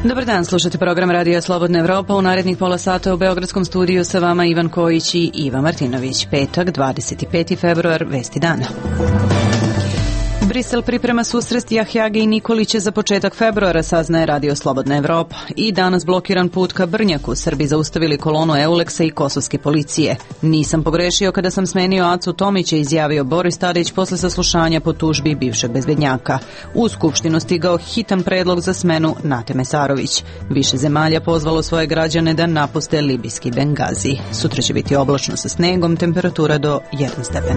Dobar dan, slušate program Radija Slobodna Evropa. U narednih pola sata u Beogradskom studiju sa vama Ivan Kojić i Iva Martinović. Petak, 25. februar, vesti dana. Brisel priprema susret Jahjage i Nikolića za početak februara, saznaje Radio Slobodna Evropa. I danas blokiran put ka Brnjaku. Srbi zaustavili kolonu Euleksa i kosovske policije. Nisam pogrešio kada sam smenio Acu Tomića, izjavio Boris Tadić posle saslušanja po tužbi bivšeg bezbednjaka. U Skupštinu stigao hitan predlog za smenu Nate Mesarović. Više zemalja pozvalo svoje građane da napuste libijski Bengazi. Sutra će biti oblačno sa snegom, temperatura do 1 stepen.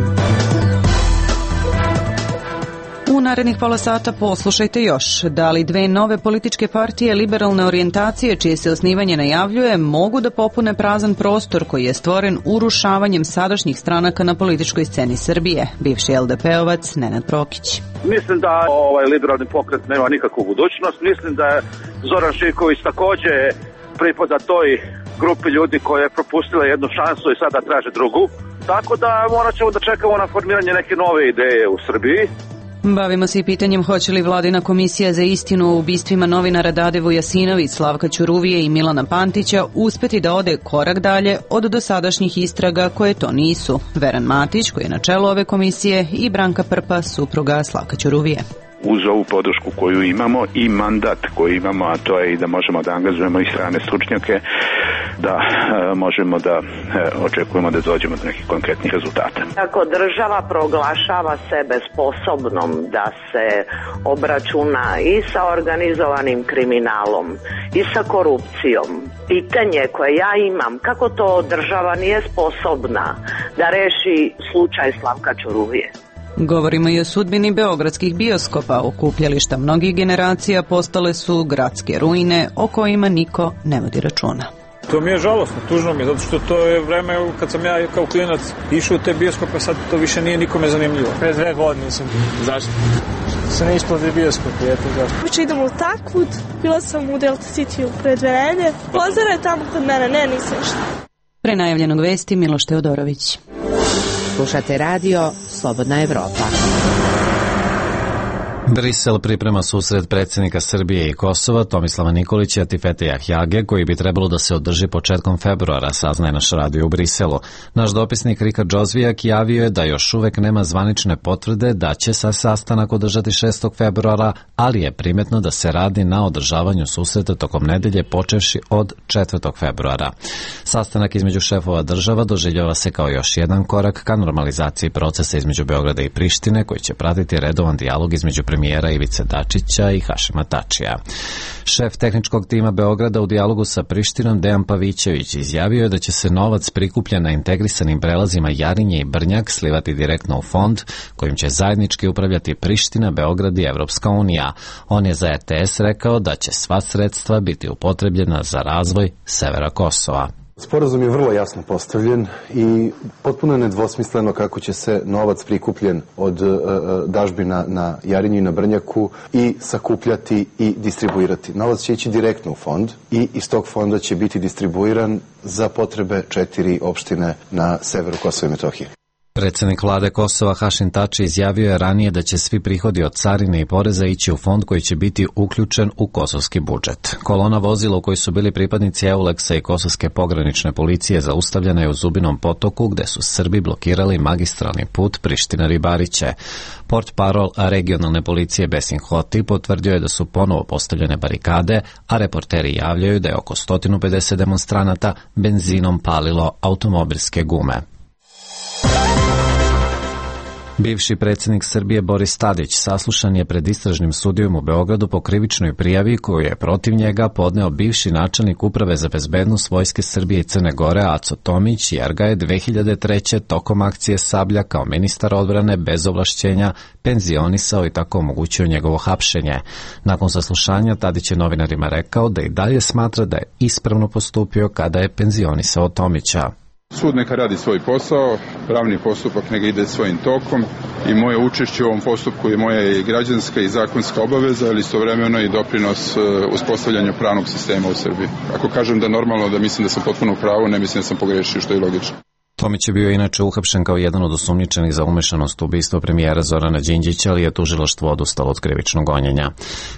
U narednih pola sata poslušajte još. Da li dve nove političke partije liberalne orijentacije, čije se osnivanje najavljuje, mogu da popune prazan prostor koji je stvoren urušavanjem sadašnjih stranaka na političkoj sceni Srbije? Bivši LDP-ovac Nenad Prokić. Mislim da ovaj liberalni pokret nema nikakvu budućnost. Mislim da je Zoran Živković takođe pripada toj grupi ljudi koja je propustila jednu šansu i sada traže drugu. Tako da morat ćemo da čekamo na formiranje neke nove ideje u Srbiji. Bavimo se i pitanjem hoće li Vladina komisija za istinu o ubistvima novinara Dade Vujasinović, Slavka Ćuruvije i Milana Pantića uspeti da ode korak dalje od dosadašnjih istraga koje to nisu. Veran Matić, koji je na čelu ove komisije, i Branka Prpa, supruga Slavka Ćuruvije. Uz ovu podršku koju imamo i mandat koji imamo, a to je i da možemo da angažujemo i strane stručnjake, da možemo da očekujemo da dođemo do nekih konkretnih rezultata. Ako država proglašava sebe sposobnom da se obračuna i sa organizovanim kriminalom i sa korupcijom, pitanje koje ja imam, kako to država nije sposobna da reši slučaj Slavka Ćuruvije? Govorimo i o sudbini beogradskih bioskopa. Okupljališta mnogih generacija postale su gradske ruine o kojima niko ne vodi računa. To mi je žalostno, tužno mi je, zato što to je vreme kad sam ja kao klinac išao u te bioskope, sad to više nije nikome zanimljivo. Pre 2 godine sam. Zašto? Se ne isplati bioskopi, eto zašto. Uče idemo u Takvud, bila sam u Delta City pre 2 nedelje. Pozdrav je tamo kod mene, ne, nisam šta. Pre najavljenog vesti Miloš Teodorović. Slušate radio Slobodna Evropa. Brisel priprema susret predsjednika Srbije i Kosova Tomislava Nikolića i Atifete Jahjage, koji bi trebalo da se održi početkom februara, saznaje naš radio u Briselu. Naš dopisnik Rika Džozvijak javio je da još uvek nema zvanične potvrde da će se sastanak održati 6. februara, ali je primetno da se radi na održavanju susreta tokom nedelje počevši od 4. februara. Sastanak između šefova država doživljava se kao još jedan korak ka normalizaciji procesa između Beograda i Prištine, koji će pratiti redovan dijalog između premijera Ivice Dačića i Hašima Tačija. Šef tehničkog tima Beograda u dijalogu sa Prištinom Dejan Pavićević izjavio je da će se novac prikupljen na integrisanim prelazima Jarinje i Brnjak slivati direktno u fond kojim će zajednički upravljati Priština, Beograd i Evropska unija. On je za RTS rekao da će sva sredstva biti upotrebljena za razvoj severa Kosova. Sporazum je vrlo jasno postavljen i potpuno nedvosmisleno kako će se novac prikupljen od dažbina na Jarinju i na Brnjaku i sakupljati i distribuirati. Novac će ići direktno u fond i iz tog fonda će biti distribuiran za potrebe 4 opštine na severu Kosova i Metohije. Predsjednik vlade Kosova Hašim Tači izjavio je ranije da će svi prihodi od carine i poreza ići u fond koji će biti uključen u kosovski budžet. Kolona vozila u kojoj su bili pripadnici Euleksa i kosovske pogranične policije zaustavljena je u Zubinom potoku, gde su Srbi blokirali magistralni put Priština-Ribariće. Portparol regionalne policije Besim Hoti potvrdio je da su ponovo postavljene barikade, a reporteri javljaju da je oko 150 demonstranata benzinom palilo automobilske gume. Bivši predsjednik Srbije Boris Tadić saslušan je pred istražnim sudijom u Beogradu po krivičnoj prijavi koju je protiv njega podneo bivši načelnik Uprave za bezbednost Vojske Srbije i Crne Gore Aco Tomić, jer ga je 2003. tokom akcije Sablja kao ministar odbrane bez ovlašćenja penzionisao i tako omogućio njegovo hapšenje. Nakon saslušanja Tadić je novinarima rekao da i dalje smatra da je ispravno postupio kada je penzionisao Tomića. Sud neka radi svoj posao, pravni postupak neka ide svojim tokom i moje učešće u ovom postupku je moja i građanska i zakonska obaveza, ali istovremeno i doprinos uspostavljanju pravnog sistema u Srbiji. Ako kažem da normalno da mislim da sam potpuno u pravu, ne mislim da sam pogrešio, što je logično. Tomić je bio inače uhapšen kao jedan od osumnjičenih za umešanost u ubistvo premijera Zorana Đinđića, ali je tužilaštvo odustalo od krivičnog gonjenja.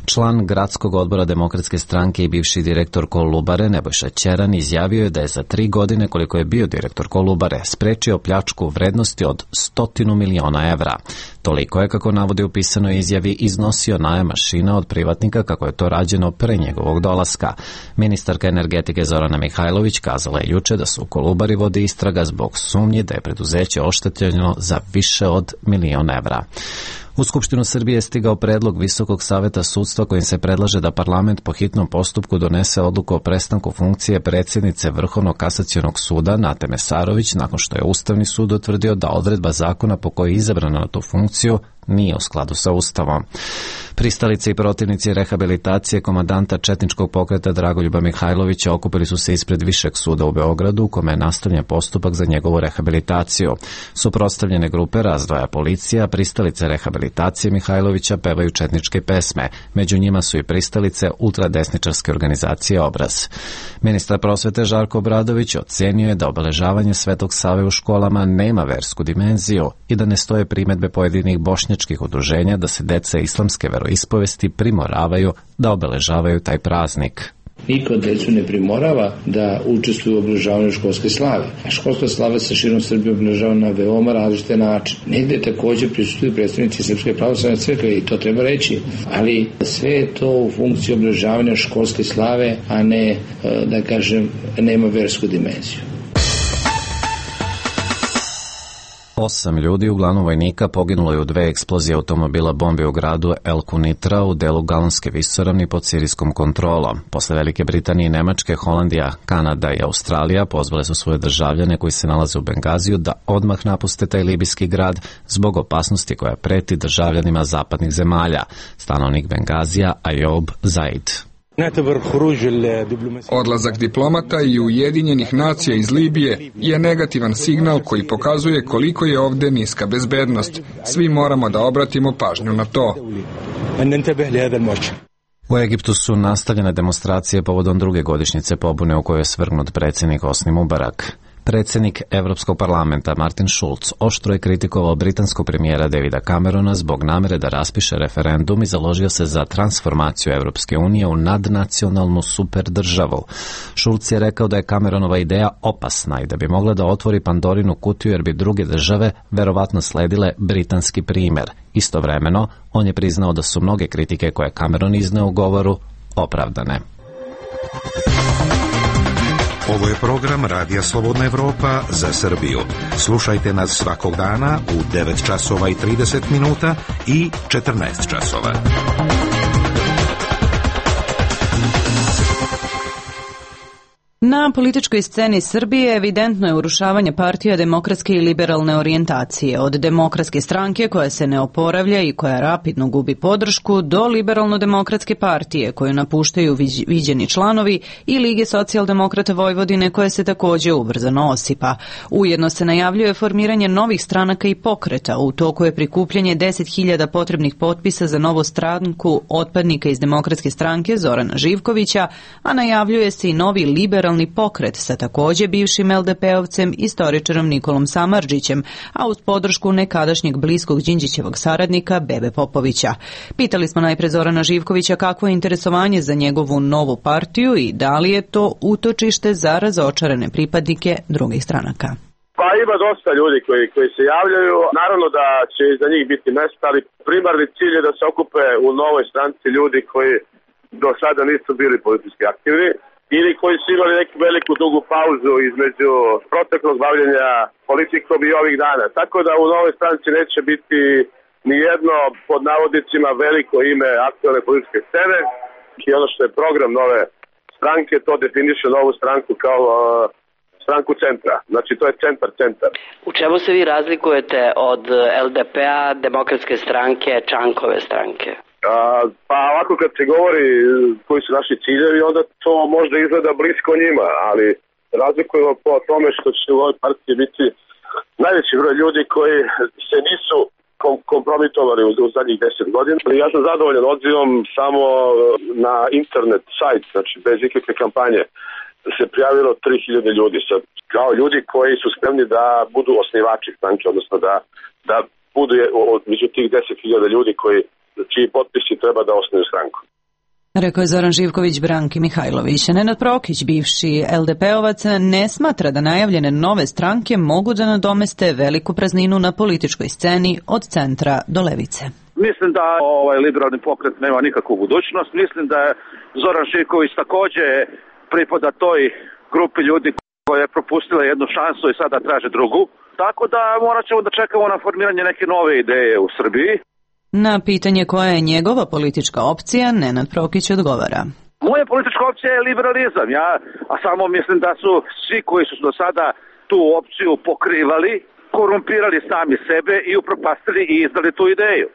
Član gradskog odbora Demokratske stranke i bivši direktor Kolubare Nebojša Ćeran izjavio je da je za 3 godine koliko je bio direktor Kolubare sprečio pljačku u vrednosti od 100 miliona evra. Toliko je, kako navodi u pisanoj izjavi, iznosio najam mašina od privatnika kako je to rađeno pre njegovog dolaska. Ministarka energetike Zorana Mihajlović kazala je juče da se u Kolubari vodi istraga zbog sumnji da je preduzeće oštetljeno za više od 1 milion evra. U Skupštinu Srbije je stigao predlog Visokog saveta sudstva kojim se predlaže da parlament po hitnom postupku donese odluku o prestanku funkcije predsjednice Vrhovnog kasacionog suda Nate Mesarović nakon što je Ustavni sud utvrdio da odredba zakona po kojoj je izabrana na tu funkciju nije u skladu sa Ustavom. Pristalice i protivnici rehabilitacije komandanta četničkog pokreta Dragoljuba Mihajlovića okupili su se ispred Višeg suda u Beogradu u kome je nastavljen postupak za njegovu rehabilitaciju. Suprotstavljene grupe razdvaja policija, pristalice rehabilitacije Mihajlovića pevaju četničke pesme. Među njima su i pristalice ultradesničarske organizacije Obraz. Ministar prosvete Žarko Obradović ocenio je da obeležavanje Svetog Save u školama nema versku dimenziju i da ne stoje primedbe pojedinih bošnjačkih udruženja da se deca islamske veroispovesti primoravaju da obeležavaju taj praznik. Niko decu ne primorava da učestvuju u obeležavanju školske slave. A školska slava se širom Srbije obeležava na veoma različite načine. Negde također prisustvuju predstavnici Srpske pravoslavne crkve i to treba reći, ali sve je to u funkciji obeležavanja školske slave, a ne, da kažem, nema versku dimenziju. 8 ljudi, uglavnom vojnika, poginulo je u 2 eksplozije automobila bombi u gradu El Kunitra u delu Galonske visoravni pod sirijskom kontrolom. Posle Velike Britanije i Nemačke, Holandija, Kanada i Australija pozvale su svoje državljane koji se nalaze u Bengaziju da odmah napuste taj libijski grad zbog opasnosti koja preti državljanima zapadnih zemalja. Stanovnik Bengazija Ayob Zaid. Odlazak diplomata i Ujedinjenih nacija iz Libije je negativan signal koji pokazuje koliko je ovdje niska bezbednost. Svi moramo da obratimo pažnju na to. U Egiptu su nastavljene demonstracije povodom 2. godišnjice pobune u kojoj je svrgnut predsjednik Hosni Mubarak. Predsjednik Evropskog parlamenta Martin Schulz oštro je kritikovao britanskog premijera Davida Camerona zbog namere da raspiše referendum i založio se za transformaciju Evropske unije u nadnacionalnu superdržavu. Schulz je rekao da je Cameronova ideja opasna i da bi mogla da otvori Pandorinu kutiju jer bi druge države verovatno sledile britanski primjer. Istovremeno, on je priznao da su mnoge kritike koje Cameron izneo u govoru opravdane. Ovo je program Radija Slobodna Evropa za Srbiju. Slušajte nas svakog dana u 9 časova i 30 minuta i 14 časova. Na političkoj sceni Srbije evidentno je urušavanje partija demokratske i liberalne orijentacije, od Demokratske stranke koja se ne oporavlja i koja rapidno gubi podršku, do Liberalno-demokratske partije koju napuštaju viđeni članovi i Lige socijaldemokrata Vojvodine koja se također ubrzano osipa. Ujedno se najavljuje formiranje novih stranaka i pokreta, u toku je prikupljanje 10.000 potrebnih potpisa za novu stranku otpadnika iz Demokratske stranke Zorana Živkovića, a najavljuje se i novi liberalni pokret sa također bivšim LDP-ovcem istoričarom Nikolom Samardžićem, a uz podršku nekadašnjeg bliskog Đinđićevog saradnika Bebe Popovića. Pitali smo najpre Zorana Živkovića kakvo je interesovanje za njegovu novu partiju i da li je to utočište za razočarane pripadnike drugih stranaka. Pa ima dosta ljudi koji se javljaju. Naravno da će za njih biti mesta, ali primarni cilj je da se okupe u novoj stranci ljudi koji do sada nisu bili politički aktivni ili koji su imali neku veliku dugu pauzu između proteklog bavljenja politikom i ovih dana. Tako da u novoj stranci neće biti ni jedno, pod navodnicima, veliko ime aktualne političke scene. I ono što je program nove stranke, to definiše novu stranku kao stranku centra. Znači to je centar. U čemu se vi razlikujete od LDP-a, Demokratske stranke, Čankove stranke? Pa ovako kad se govori koji su naši ciljevi, onda to možda izgleda blisko njima, ali razlikujemo po tome što će u ovoj partiji biti najveći broj ljudi koji se nisu kompromitovali u zadnjih 10 godina. Ja sam zadovoljan odzivom samo na internet sajt, znači bez ikakve kampanje. se prijavilo 3000 ljudi, kao ljudi koji su spremni da budu osnivači stranke, odnosno da budu među tih 10.000 ljudi čiji potpisi treba da osnuju stranku. Rekao je Zoran Živković Branki Mihajlović. Nenad Prokić, bivši LDP-ovac, ne smatra da najavljene nove stranke mogu da nadomeste veliku prazninu na političkoj sceni od centra do levice. Mislim da liberalni pokret nema nikakvu budućnost. Mislim da je Zoran Živković takođe pripada toj grupi ljudi koja je propustila jednu šansu i sada traže drugu. Tako da morat ćemo da čekamo na formiranje neke nove ideje u Srbiji. Na pitanje koja je njegova politička opcija, Nenad Prokić odgovara. Moja politička opcija je liberalizam, a samo mislim da su svi koji su do sada tu opciju pokrivali, korumpirali sami sebe i upropastili i izdali tu ideju.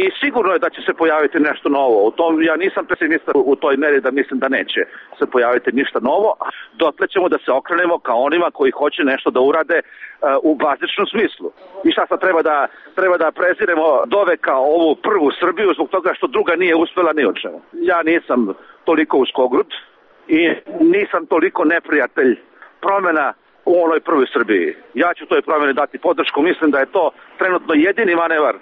I sigurno je da će se pojaviti nešto novo. Ja nisam pesimista u toj meri da mislim da neće se pojaviti ništa novo. Dotle ćemo da se okrenemo kao onima koji hoće nešto da urade u bazičnom smislu. I šta sad treba da preziremo doveka ovu prvu Srbiju zbog toga što druga nije uspela ni o čemu. Ja nisam toliko uskogrud i nisam toliko neprijatelj promjena u onoj prvoj Srbiji. Ja ću toj promjeni dati podršku. Mislim da je to trenutno jedini manevar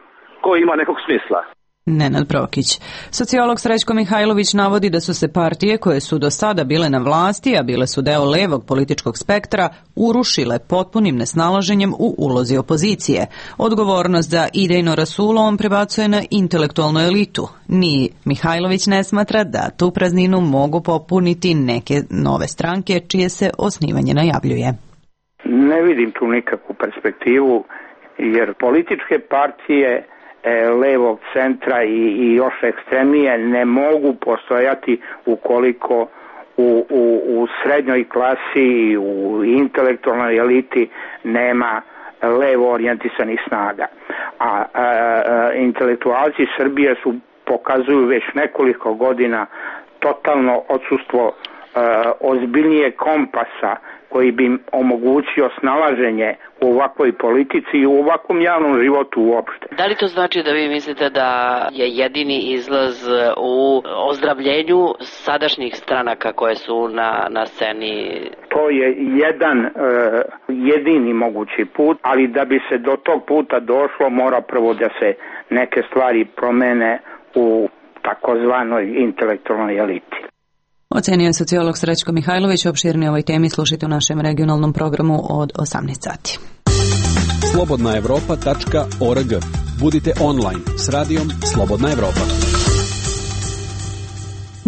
koji ima nekog smisla. Nenad Prokić. Sociolog Srećko Mihajlović navodi da su se partije koje su do sada bile na vlasti, a bile su deo levog političkog spektra, urušile potpunim nesnalaženjem u ulozi opozicije. Odgovornost za idejno rasulo on prebacuje na intelektualnu elitu. Ni Mihajlović ne smatra da tu prazninu mogu popuniti neke nove stranke čije se osnivanje najavljuje. Ne vidim tu nikakvu perspektivu, jer političke partije levog centra i još ekstremije ne mogu postojati ukoliko u srednjoj klasi i u intelektualnoj eliti nema levo orijentisanih snaga. A intelektualci Srbije pokazuju već nekoliko godina totalno odsustvo ozbiljnije kompasa koji bi im omogućio snalaženje u ovakvoj politici i u ovakvom javnom životu uopšte. Da li to znači da vi mislite da je jedini izlaz u ozdravljenju sadašnjih stranaka koje su na sceni? To je jedini mogući put, ali da bi se do tog puta došlo mora prvo da se neke stvari promene u takozvanoj intelektualnoj eliti. Ocenio je sociolog Srećko Mihajlović. Opširnije ovoj temi slušajte u našem regionalnom programu od 18 sati. slobodnaevropa.org. Budite online s radijom Slobodna Evropa.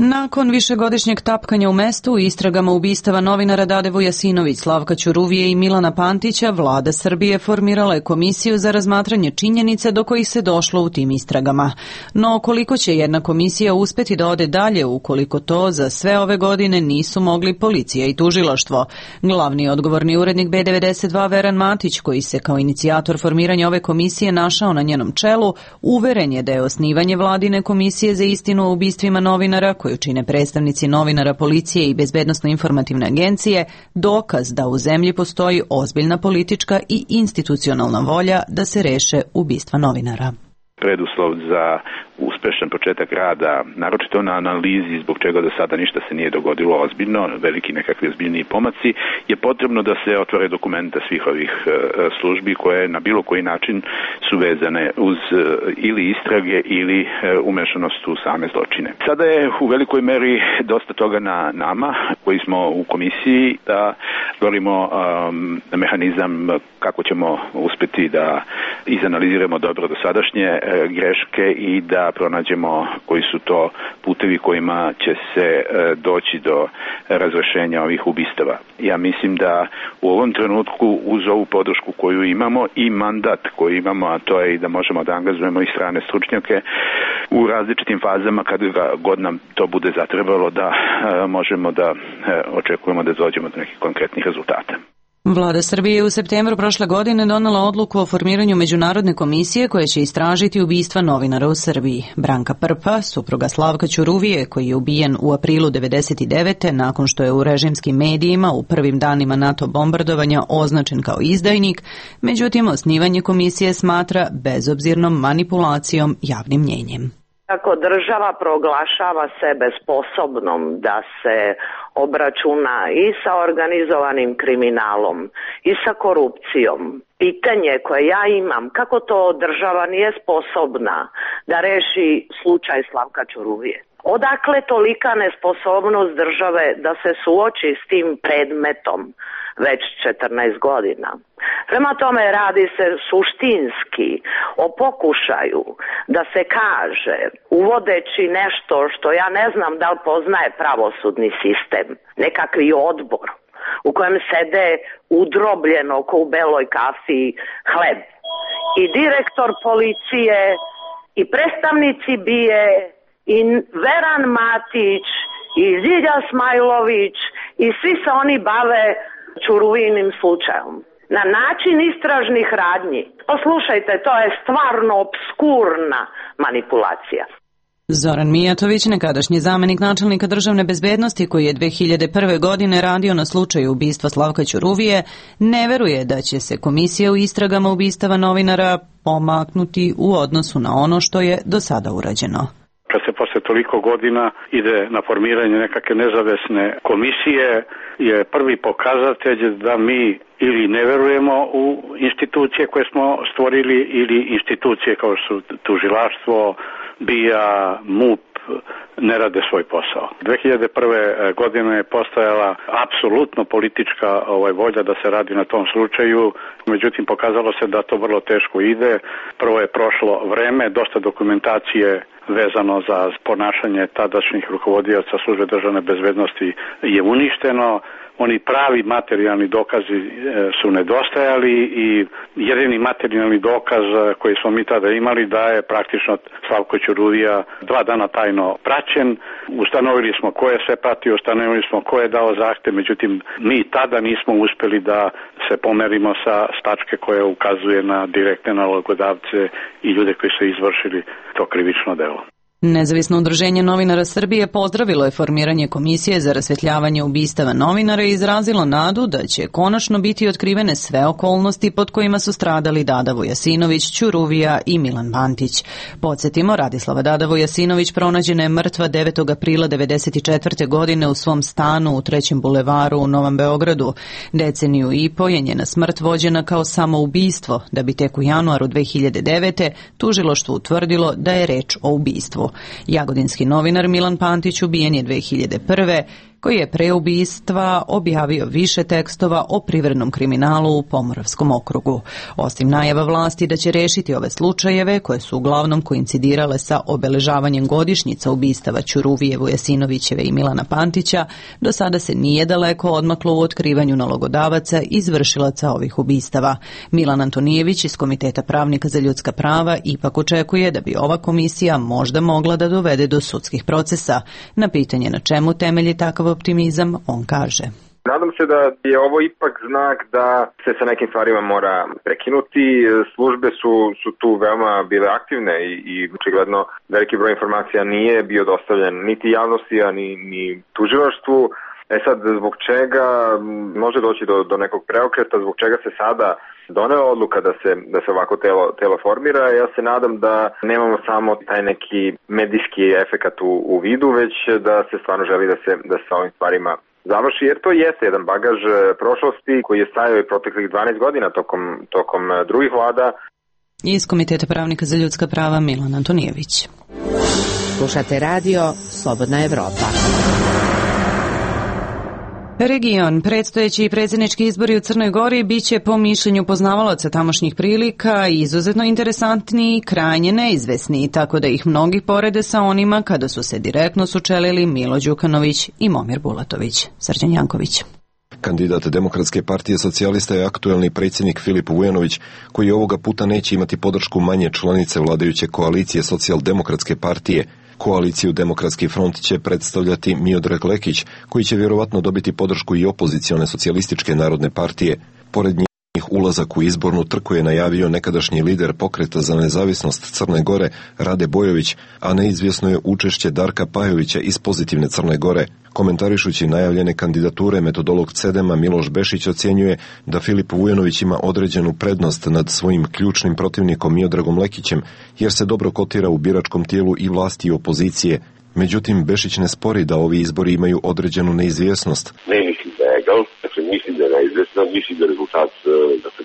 Nakon višegodišnjeg tapkanja u mestu i istragama ubistava novinara Dade Vujasinović, Slavka Ćuruvije i Milana Pantića, vlada Srbije formirala je komisiju za razmatranje činjenica do kojih se došlo u tim istragama. No koliko će jedna komisija uspeti da ode dalje ukoliko to za sve ove godine nisu mogli policija i tužilaštvo? Glavni odgovorni urednik B92 Veran Matić, koji se kao inicijator formiranja ove komisije našao na njenom čelu, uveren je da je osnivanje vladine komisije za istinu o ubistvima novinara koju čine predstavnici novinara, policije i bezbednosno-informativne agencije, dokaz da u zemlji postoji ozbiljna politička i institucionalna volja da se reše ubistva novinara. Preduslov za uspešan početak rada, naročito na analizi zbog čega do sada ništa se nije dogodilo ozbiljno, veliki nekakvi ozbiljniji pomaci, je potrebno da se otvore dokumenta svih ovih službi koje na bilo koji način su vezane uz ili istrage ili umešanost u same zločine. Sada je u velikoj meri dosta toga na nama koji smo u komisiji da stvorimo mehanizam kako ćemo uspeti da izanaliziramo dobro dosadašnje greške i da pronađemo koji su to putevi kojima će se doći do razrešenja ovih ubistava. Ja mislim da u ovom trenutku uz ovu podršku koju imamo i mandat koji imamo, a to je i da možemo da angažujemo i strane stručnjake u različitim fazama kad god nam to bude zatrebalo, da možemo da očekujemo da dođemo do nekih konkretnih rezultata. Vlada Srbije je u septembru prošle godine donela odluku o formiranju međunarodne komisije koja će istražiti ubistva novinara u Srbiji. Branka Prpa, supruga Slavka Ćuruvije, koji je ubijen u aprilu 1999. nakon što je u režimskim medijima u prvim danima NATO bombardovanja označen kao izdajnik, međutim osnivanje komisije smatra bezobzirnom manipulacijom javnim mnjenjem. Ako država proglašava sebe sposobnom da se obračuna i sa organizovanim kriminalom i sa korupcijom, pitanje koje ja imam, kako to država nije sposobna da reši slučaj Slavka Ćuruvije? Odakle tolika nesposobnost države da se suoči s tim predmetom već 14 godina? Prema tome radi se suštinski o pokušaju da se kaže, uvodeći nešto što ja ne znam da li poznaje pravosudni sistem, nekakvi odbor u kojem sede udrobljeno ko u beloj kafi hleb i direktor policije i predstavnici BIA i Veran Matić i Zilja Smajlović i svi se oni bave Ćuruvijinim slučajem. Na način istražnih radnji. Poslušajte, to je stvarno obskurna manipulacija. Zoran Mijatović, nekadašnji zamenik načelnika državne bezbednosti koji je 2001. godine radio na slučaju ubistva Slavka Ćuruvije, ne veruje da će se komisija u istragama ubistava novinara pomaknuti u odnosu na ono što je do sada urađeno. Kad se posle toliko godina ide na formiranje nekakve nezavisne komisije, je prvi pokazatelj da mi ili ne verujemo u institucije koje smo stvorili ili institucije kao su tužilaštvo, BIA, MUP ne rade svoj posao. 2001. godine je postojala apsolutno politička volja da se radi na tom slučaju, međutim pokazalo se da to vrlo teško ide. Prvo je prošlo vreme, dosta dokumentacije vezano za ponašanje tadašnjih rukovodioca službe državne bezbednosti je uništeno. Oni pravi materijalni dokazi su nedostajali i jedini materijalni dokaz koji smo mi tada imali da je praktično Slavko Ćuruvija 2 dana tajno praćen. Ustanovili smo ko je sve pratio, ustanovili smo ko je dao zahtev, međutim mi tada nismo uspeli da se pomerimo sa tačke koja ukazuje na direktne nalogodavce i ljude koji su izvršili to krivično delo. Nezavisno udruženje novinara Srbije pozdravilo je formiranje komisije za rasvetljavanje ubistava novinara i izrazilo nadu da će konačno biti otkrivene sve okolnosti pod kojima su stradali Dada Vujasinović, Ćuruvija i Milan Bantić. Podsjetimo, Radislava Dada Vujasinović pronađena je mrtva 9. aprila 1994. godine u svom stanu u 3. bulevaru u Novom Beogradu. Deceniju i po je njena smrt vođena kao samoubistvo, da bi tek u januaru 2009. tužilaštvo utvrdilo da je reč o ubistvu. Jagodinski novinar Milan Pantić ubijen je 2001. koji je pre ubistva objavio više tekstova o privrednom kriminalu u Pomoravskom okrugu. Osim najava vlasti da će rešiti ove slučajeve, koje su uglavnom koincidirale sa obeležavanjem godišnjica ubistava Ćuruvije, Vujasinovićeve i Milana Pantića, do sada se nije daleko odmaklo u otkrivanju nalogodavaca i izvršilaca ovih ubistava. Milan Antonijević iz Komiteta pravnika za ljudska prava ipak očekuje da bi ova komisija možda mogla da dovede do sudskih procesa. Na pitanje na čemu temelji takav optimizam, on kaže. Nadam se da je ovo ipak znak da se sa nekim stvarima mora prekinuti. Službe su tu veoma bile aktivne i očigledno veliki broj informacija nije bio dostavljen niti javnosti, a ni tužilaštvu. Sad, zbog čega može doći do nekog preokreta, zbog čega se sada donela odluka da se ovako telo formira? Ja se nadam da nemamo samo taj neki medijski efekat u vidu, već da se stvarno želi da se ovim stvarima završi, jer to jeste jedan bagaž prošlosti koji je stajao i proteklih 12 godina tokom drugih vlada. Iz Komiteta pravnika za ljudska prava Milan Antonijević. Slušate radio Slobodna Evropa. Region, predstojeći i predsjednički izbori u Crnoj Gori biće po mišljenju poznavalaca tamošnjih prilika izuzetno interesantni i krajnje neizvesni, tako da ih mnogi porede sa onima kada su se direktno sučelili Milo Đukanović i Momir Bulatović. Srđan Janković. Kandidat Demokratske partije socijalista je aktuelni predsjednik Filip Vujanović, koji ovoga puta neće imati podršku manje članice vladajuće koalicije Socijaldemokratske partije. Koaliciju Demokratski front će predstavljati Miodrag Lekić, koji će vjerovatno dobiti podršku i opozicione socijalističke narodne partije. Pored njih Ulazak u izbornu trku je najavio nekadašnji lider Pokreta za nezavisnost Crne Gore Rade Bojović, a neizvjesno je učešće Darka Pajovića iz Pozitivne Crne Gore. Komentarišući najavljene kandidature, metodolog CEDEM-a Miloš Bešić ocjenjuje da Filip Vujanović ima određenu prednost nad svojim ključnim protivnikom Miodragom Lekićem, jer se dobro kotira u biračkom tijelu i vlasti i opozicije. Međutim, Bešić ne spori da ovi izbori imaju određenu neizvjesnost. Ne mislim da je egal, dakle mislim da je neizvjestan, mislim da rezultat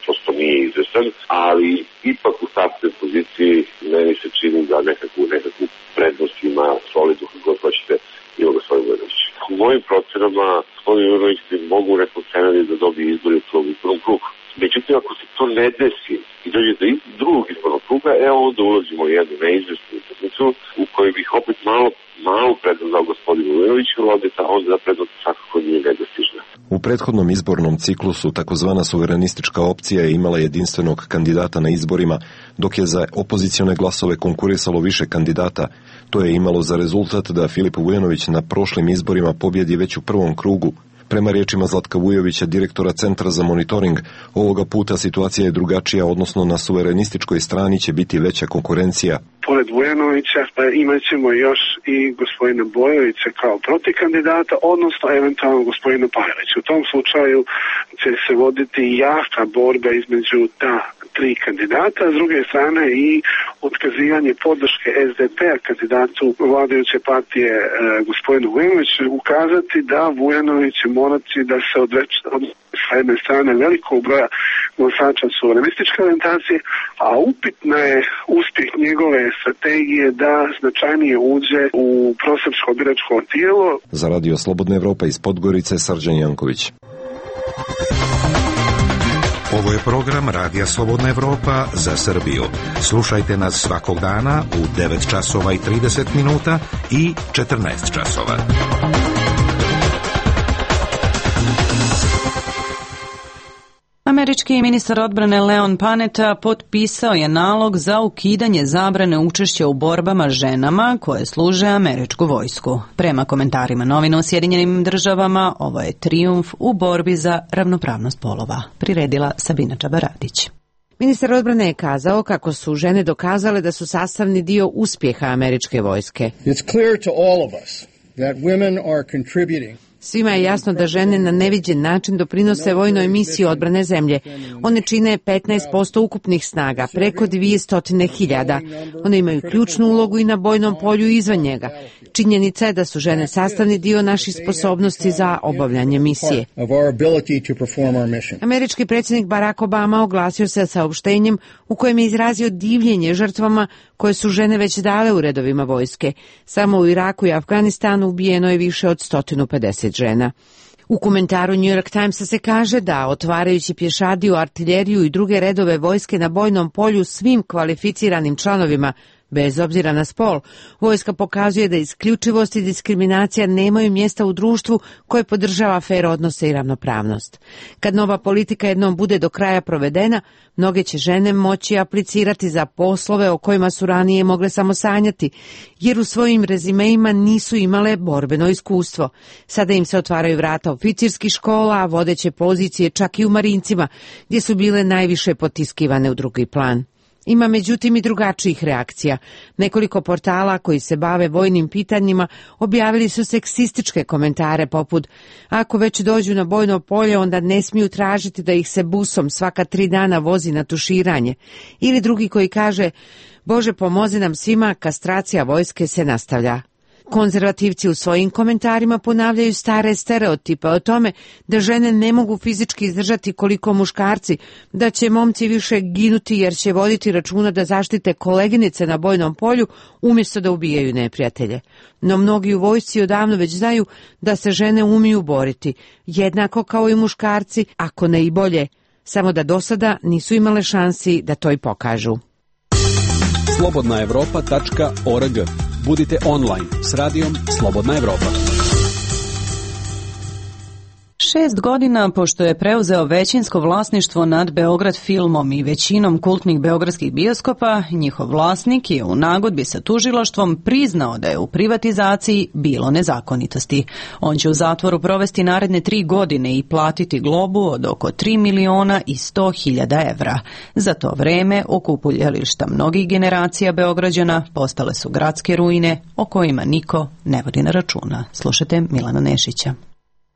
prosto nije izvjestan, ali ipak u startnoj poziciji meni se čini da nekakvu prednost ima solidnu, kako god hoćete, ima gospodin Vujanović. U mojim procenama gospodin Vujanović mogu neko scenarij da dobije izbori u prvom krugu. Međutim, ako se to ne desi i dođe do drugog izbornog kruga, onda ulazimo u jednu neizvjesnu utakmicu u kojoj bih opet malo prednost dao gospodinu Vujanoviću, onda da prednost svakako nije nedostižna. U prethodnom izbornom ciklusu takozvana suverenistička opcija je imala jedinstvenog kandidata na izborima, dok je za opozicione glasove konkurisalo više kandidata. To je imalo za rezultat da Filip Vujanović na prošlim izborima pobjedi već u prvom krugu. Prema riječima Zlatka Vujovića, direktora Centra za monitoring, ovoga puta situacija je drugačija, odnosno na suverenističkoj strani će biti veća konkurencija. Pored Vujanovića imat ćemo još i gospodina Bojovića kao protikandidata, odnosno eventualno gospodina Pajovića. U tom slučaju će se voditi jaka borba između ta tri kandidata, a s druge strane i otkazivanje podrške SDP-a kandidatu vladajuće partije gospodinu Vujanoviću, ukazati da Vujanović morati da se odreći sa jedne strane velikog broja glasača suverenističke orijentacije, a upitna je uspjeh njegove strategije da značajnije uđe u prosrpsko biračko tijelo. Za Radio Slobodna Evropa iz Podgorice, Srđan Janković. Ovo je program Radija Slobodna Evropa za Srbiju. Slušajte nas svakog dana u 9 časova i 30 minuta i 14 časova. Američki ministar odbrane Leon Panetta potpisao je nalog za ukidanje zabrane učešća u borbama ženama koje služe američku vojsku. Prema komentarima novina u Sjedinjenim državama, ovo je trijumf u borbi za ravnopravnost polova. Priredila Sabina Čabaradić. Ministar odbrane je kazao kako su žene dokazale da su sastavni dio uspjeha američke vojske. It's clear to all of us that women are contributing. Svima je jasno da žene na neviđen način doprinose vojnoj misiji odbrane zemlje. One čine 15% ukupnih snaga, preko 200.000. One imaju ključnu ulogu i na bojnom polju i izvan njega. Činjenica je da su žene sastavni dio naših sposobnosti za obavljanje misije. Američki predsjednik Barack Obama oglasio se saopštenjem u kojem je izrazio divljenje žrtvama koje su žene već dale u redovima vojske. Samo u Iraku i Afganistanu ubijeno je više od 150 žena. U komentaru New York Timesa se kaže da, otvarajući pješadiju, artiljeriju i druge redove vojske na bojnom polju svim kvalificiranim članovima, bez obzira na spol, vojska pokazuje da isključivost i diskriminacija nemaju mjesta u društvu koje podržava fer odnose i ravnopravnost. Kad nova politika jednom bude do kraja provedena, mnoge će žene moći aplicirati za poslove o kojima su ranije mogle samo sanjati, jer u svojim rezimeima nisu imale borbeno iskustvo. Sada im se otvaraju vrata oficirskih škola, a vodeće pozicije čak i u marincima, gdje su bile najviše potiskivane u drugi plan. Ima međutim i drugačijih reakcija. Nekoliko portala koji se bave vojnim pitanjima objavili su seksističke komentare poput: ako već dođu na bojno polje, onda ne smiju tražiti da ih se busom svaka 3 dana vozi na tuširanje. Ili drugi koji kaže: Bože pomozi nam svima, kastracija vojske se nastavlja. Konzervativci u svojim komentarima ponavljaju stare stereotipe o tome da žene ne mogu fizički izdržati koliko muškarci, da će momci više ginuti jer će voditi računa da zaštite koleginice na bojnom polju umjesto da ubijaju neprijatelje. No mnogi u vojsci odavno već znaju da se žene umiju boriti, jednako kao i muškarci, ako ne i bolje, samo da do sada nisu imale šansi da to i pokažu. slobodnaevropa.org. Budite online s radijom Slobodna Evropa. 6 godina pošto je preuzeo većinsko vlasništvo nad Beograd filmom i većinom kultnih beogradskih bioskopa, njihov vlasnik je u nagodbi sa tužilaštvom priznao da je u privatizaciji bilo nezakonitosti. On će u zatvoru provesti naredne 3 godine i platiti globu od oko 3.100.000 evra. Za to vreme okupuljališta mnogih generacija Beograđana postale su gradske ruine o kojima niko ne vodi na računa. Slušajte Milana Nešića.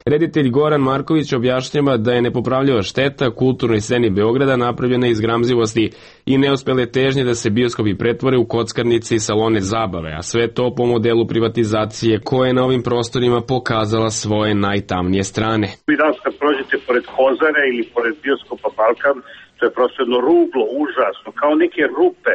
Reditelj Goran Marković objašnjava da je nepopravljiva šteta kulturnoj sceni Beograda napravljena iz gramzivosti i neuspele težnje da se bioskopi pretvore u kockarnice i salone zabave, a sve to po modelu privatizacije koja je na ovim prostorima pokazala svoje najtamnije strane. Vi danas kad prođete pored Hozare ili pored bioskopa Balkan, to je prosto jedno ruglo, užasno, kao neke rupe,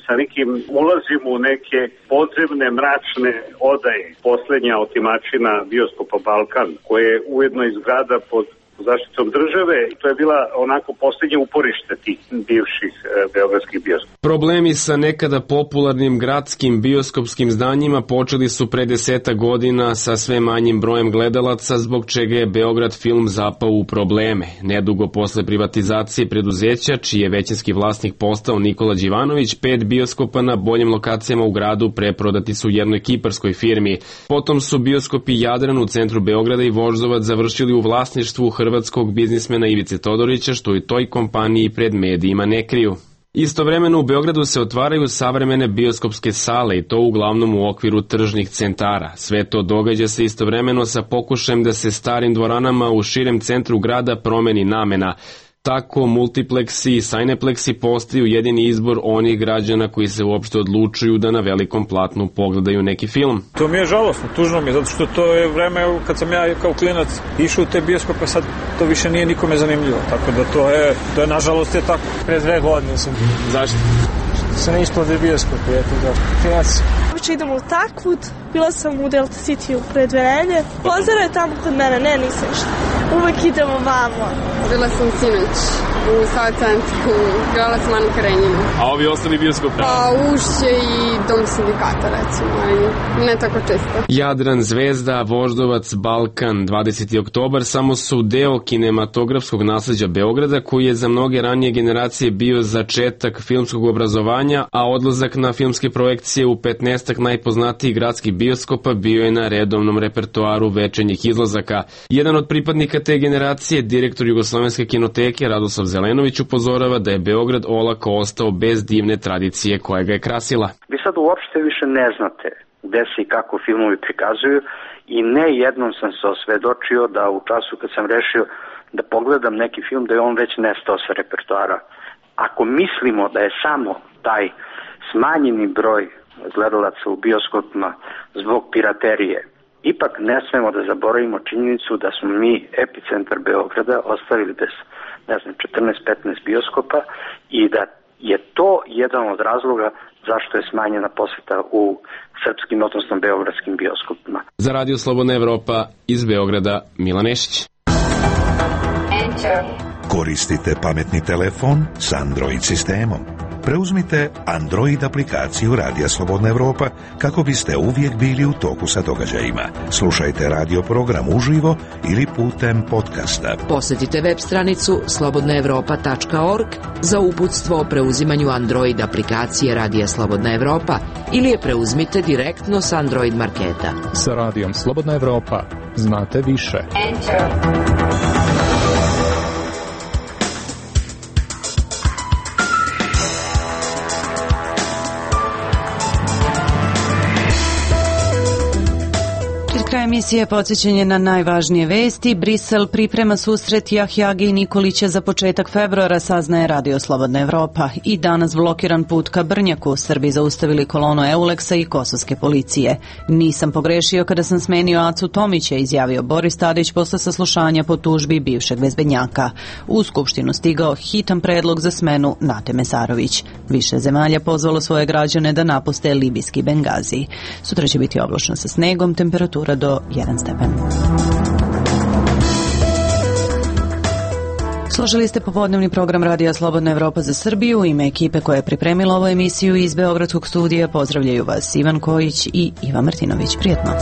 sa nekim ulazimo u neke podzemne mračne odaje. Poslednja otimačina bioskopa Balkan, koja je ujedno i zgrada pod zaštitom države, i to je bila onako posljednje uporište tih bivših beogradskih bioskopa. Problemi sa nekada popularnim gradskim bioskopskim zdanjima počeli su pre 10 godina sa sve manjim brojem gledalaca, zbog čega je Beograd film zapao u probleme. Nedugo posle privatizacije preduzeća, čiji je većinski vlasnik postao Nikola Đivanović, 5 bioskopa na boljim lokacijama u gradu preprodati su jednoj kiparskoj firmi. Potom su bioskopi Jadran u centru Beograda i Voždovac završili u vlasništvu hrvatskog biznismena Ivice Todorića, što i toj kompaniji pred medijima ne kriju. Istovremeno u Beogradu se otvaraju savremene bioskopske sale i to uglavnom u okviru tržnih centara. Sve to događa se istovremeno sa pokušajem da se starim dvoranama u širem centru grada promeni namena. Tako multipleksi i sajnepleksi postaju jedini izbor onih građana koji se uopšte odlučuju da na velikom platnu pogledaju neki film. To mi je žalostno, tužno mi je, zato što to je vreme kad sam ja kao klinac išao u te bioskope, sad to više nije nikome zanimljivo, tako da to je nažalost je tako. Pre 2 godine sam. Zašto? Se ne isplade bioskope, eto da. Klinac. Uče idemo u Takvud, bila sam u Delta City u pre 2 nedelje. Pozdrav je tamo kod mene, ne, nisam išla. Uvek idemo vamo. Bila sam sinoć u Sava centru, gledala sam Anu Karenjinu. A ovi ostali bioskopi? Pa Ušće i Dom sindikata, recimo, ali ne tako često. Jadran, Zvezda, Voždovac, Balkan, 20. oktobar samo su deo kinematografskog nasleđa Beograda, koji je za mnoge ranije generacije bio začetak filmskog obrazovanja, a odlazak na filmske projekcije u 15 najpoznatijih gradskih bioskopa bio je na redovnom repertoaru večernjih izlazaka. Jedan od pripadnika te generacije, direktor Jugoslovenske kinoteke Radoslav Zelenović, upozorava da je Beograd olako ostao bez divne tradicije koja ga je krasila. Vi sad uopšte više ne znate gde se i kako filmovi prikazuju i ne jednom sam se osvedočio da u času kad sam rešio da pogledam neki film da je on već nestao sa repertoara. Ako mislimo da je samo taj smanjeni broj gledalaca u bioskopima zbog piraterije, ipak ne smemo da zaboravimo činjenicu da smo mi epicentar Beograda ostavili bez 14-15 bioskopa i da je to jedan od razloga zašto je smanjena poseta u srpskim, odnosno beogradskim bioskopima. Za Radio Slobodna Evropa iz Beograda, Milan Nešić. Koristite pametni telefon s Android sistemom. Preuzmite Android aplikaciju Radija Slobodna Evropa kako biste uvijek bili u toku sa događajima. Slušajte radio program uživo ili putem podcasta. Posjetite web stranicu slobodnaevropa.org za uputstvo o preuzimanju Android aplikacije Radija Slobodna Evropa ili je preuzmite direktno s Android marketa. Sa Radijom Slobodna Evropa znate više. Kraj emisije podsjećanje na najvažnije vesti. Brisel priprema susret Jahjage i Nikolića za početak februara, saznaje Radio Slobodna Evropa. I danas blokiran put ka Brnjaku. Srbi zaustavili kolonu Euleksa i kosovske policije. Nisam pogrešio kada sam smenio Acu Tomića, izjavio Boris Tadić posle saslušanja po tužbi bivšeg bezbednjaka. U Skupštinu stigao hitan predlog za smenu Nate Mesarović. Više zemalja pozvalo svoje građane da napuste libijski Bengazi. Sutra će biti oblačno sa snegom, temperatura do 1 stepen. Slušali ste popodnevni program Radija Slobodna Evropa za Srbiju. U ime ekipe koja je pripremila ovu emisiju iz Beogradskog studija pozdravljaju vas Ivan Kojić i Iva Martinović. Prijetno.